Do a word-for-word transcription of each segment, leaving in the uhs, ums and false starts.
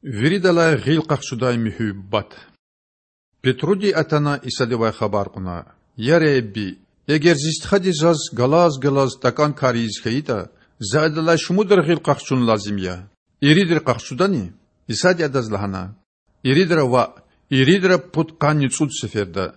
Виридалай гъил къахчудай муьгьуьббат. Петруди атана Исадивай хабар кьуна: Я Худа, эгер зи стхади заз галаз-галаз такІан кар ийиз хьайитІа, за адалай шумудра гъил къахчун лазим я? Иридра къахчудани? Исади адаз лагьана: Иридра ваъ, иридра пудкъанни цІуд сеферда.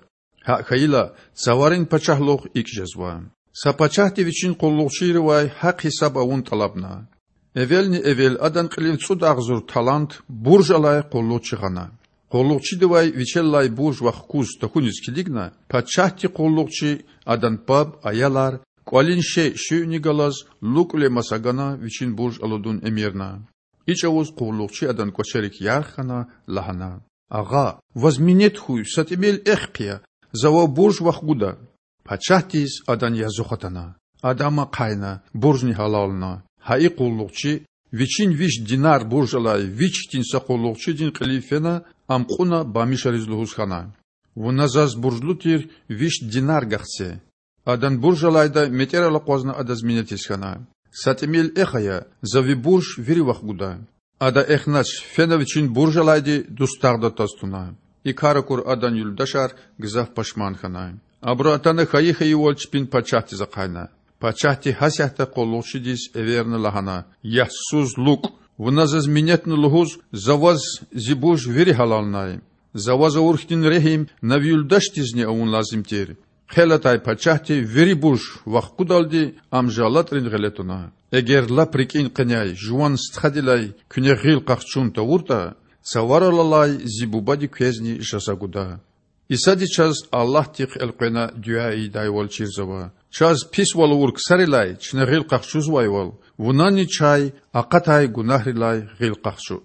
ГьакІ хьайила, Цаварин Пачагьлугъ икІ жезва. Са пачагьди вичин къуллугъчийривай гьахъ-гьисаб авун тІалабна. Эвелни-эвел адан кьилив цІуд агъзур талант бурж алай къуллугъчи гъана. Къуллугъчидивай вичелай бурж вахгуз тахьуниз килигна, пачагьди къуллугъчи, адан паб, аялар, кІвалин шей шуьни галаз лукІвиле маса гана вичин бурж алудун эмирна. И чІавуз къуллугъчи адан кІвачерик ярх хьана, лагьана: Агъа, ваз минет хьуй, са тІимил эх хъия, за вав бурж вахгуда. Пачагьдиз адан язух атана. Ада ам ахъайна, буржни гьалална. Гьа и къуллугъчи, вичин виш динар бурж алай вич хьтин са къуллугъчидин кьилив фена, ам кьуна бамишариз лугьуз хьана: Вуна заз буржлу тир виш динар гахце. Адан бурж алайда метІерал акъвазна адаз минетиз хьана: Са тІимил эх ая, за ви бурж вири вахгуда. Ада эхнач, фена вичин бурж алайди дустагъда тваз туна. И кар акур адан юлдашар гзаф пашман хьана. Абуру атана хьайи-хьайивал чпин пачагьдиз ахъайна. Пачагьди гьасятда къуллугъчидиз эверна, лагьана: Ягьсуз лукІ! Вуна заз минетна лугьуз за ваз зи бурж вири гьалалнай. За ваз авур хьтин регьим на ви юлдашдизни авун лазим тир. Хъел атай пачагьди вири бурж вахгудалди ам жаллатІрин гъиле туна. Эгер лап рикІин къеняй жуван стхадилай куьне гъил къахчун тавуртІа, Цаварал алай зи Бубади квезни жаза гуда. Исади чаз Аллагьдихъ элкъвена дуьа ийидайвал чирзава. Чаз писвал авур ксарилай чна гъил къахчузвайвал, вунани чай акъатай гунагьрилай гъил къахчу.